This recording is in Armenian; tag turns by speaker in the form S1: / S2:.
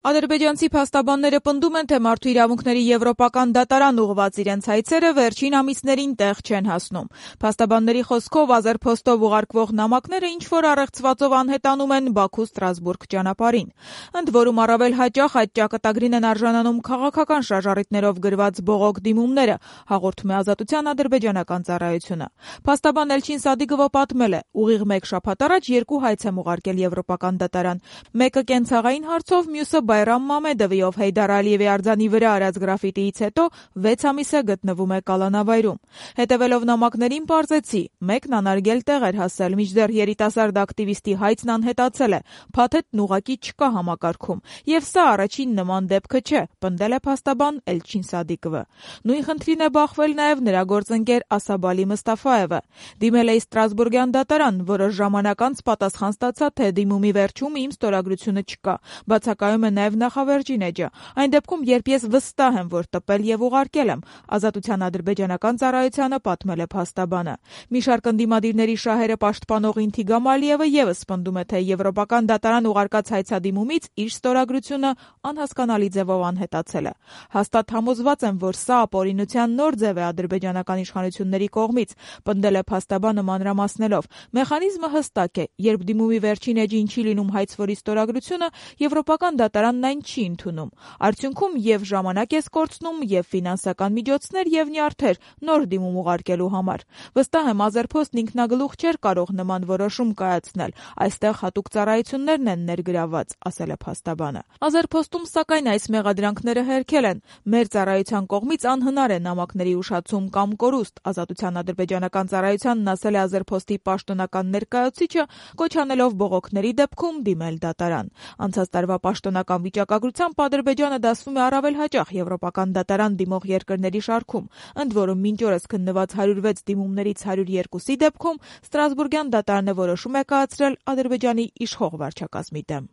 S1: Ադրբեջանցի փաստաբանները պնդում են, թե մարդու իրավունքների եվրոպական դատարան ուղղված իրենց հայցերը վերջին ամիսներին տեղ չեն հասնում։ Փաստաբանների խոսքով Ազերփոստով ուղարկվող նամակները ինչ-որ առեղծվածով անհետանում են Բաքու-Ստրասբուրգ ճանապարհին։ Ընդ որում առավել հաճախ այդ ճակատագրին են արժանանում քաղաքական շարժառիթներով գրված բողոք դիմումները, հաղորդում է Ազատության ադրբեջանական ծառայությունը։ Փաստաբան Էլչին Սադիգովը պատմել է, ուղիղ մեկ շաբաթ առաջ 2 հայց եմ ուղարկել եվրոպական դատարան։ Մեկը կենցաղային հարցով, մյուսը Բայրամ Մամեդովի, ով Հեյդար Ալիևի արձանի վրա արած գրաֆիտիից հետո 6 ամիս է գտնվում է կալանավայրում։ Հետևելով նամակներին պարզեցի, մեկն անարգել տեղ էր հասել, մինչդեռ երիտասարդ ակտիվիստի հայցն անհետացել է, փաթեթն ուղղակի չկա համակարգում, եւ սա առաջին նման դեպքը չէ, պնդել է փաստաբան Էլչին Սադիգովը։ Նույն խնդրին է բախվել նաեւ նրա գործընկեր Ասաբալի Մստաֆայևը։ Դիմել է Ստրասբուրգյան դատարան, որոշ ժամանակ անց պատասխան ստացա, թե դիմումի վերջում իմ ստորագրությունը չկա։ Բացակայում է նաև նախավերջին էջը։ Այն դեպքում, երբ ես վստահ եմ, որ տպել եւ ուղարկել եմ, Ազատության ադրբեջանական ծառայությանը պատմել է փաստաբանը։ Մի շարք ընդդիմադիրների շահերը պաշտպանող Ինթիգամ Ալիևը եւս պնդում է, թե եվրոպական դատարան ուղարկած հայցադիմումից իր ստորագրությունը անհասկանալի ձևով անհետացել է։ Հաստատ համոզված եմ, որ սա ապօրինության նոր ձև է ադրբեջանական իշխանությունների կողմից, պնդել է փաստաբանը մանրամասնելով։ Մեխանիզմը հստակ է, երբ դիմումի վերջին էջին չի լինում հայցվորի ստորագրությունը, եվրոպական դատարանն այն չի ընդունում։ Արդյունքում եւ ժամանակ ես կորցնում, եւ ֆինանսական միջոցներ, եւ նյարդեր նոր դիմում ուղարկելու համար։ Վստահ եմ, Ազերփոստն ինքնագլուխ չէր կարող նման որոշում կայացնել։ Այստեղ հատուկ ծառայություններն են ներգրավված, ասել է փաստաբանը։ Ազերփոստում, սակայն, այս մեղադրանքները հերքել են։ Մեր ծառայության կողմից անհնար է նամակների ուշացում կամ կորուստ, Ազատության ադրբեջանական ծառայությանն ասել է Ազերփոստի պաշտոնական ներկայացուցիչը, կոչ անելով բողոքների դեպքում դիմել դատարան։ Անցած տարվա պաշտոնական վիճակագրությամբ Ադրբեջանը դասվում է առավել հաճախ եվրոպական դատարան դիմող երկրների շարքում, ընդ որում մինչ օրս քննված 106 դիմումներից 102-ի դեպքում Ստրասբուրգյան դատարանը որոշում է կայացրել Ադրբեջանի իշխող վարչակազմի դեմ։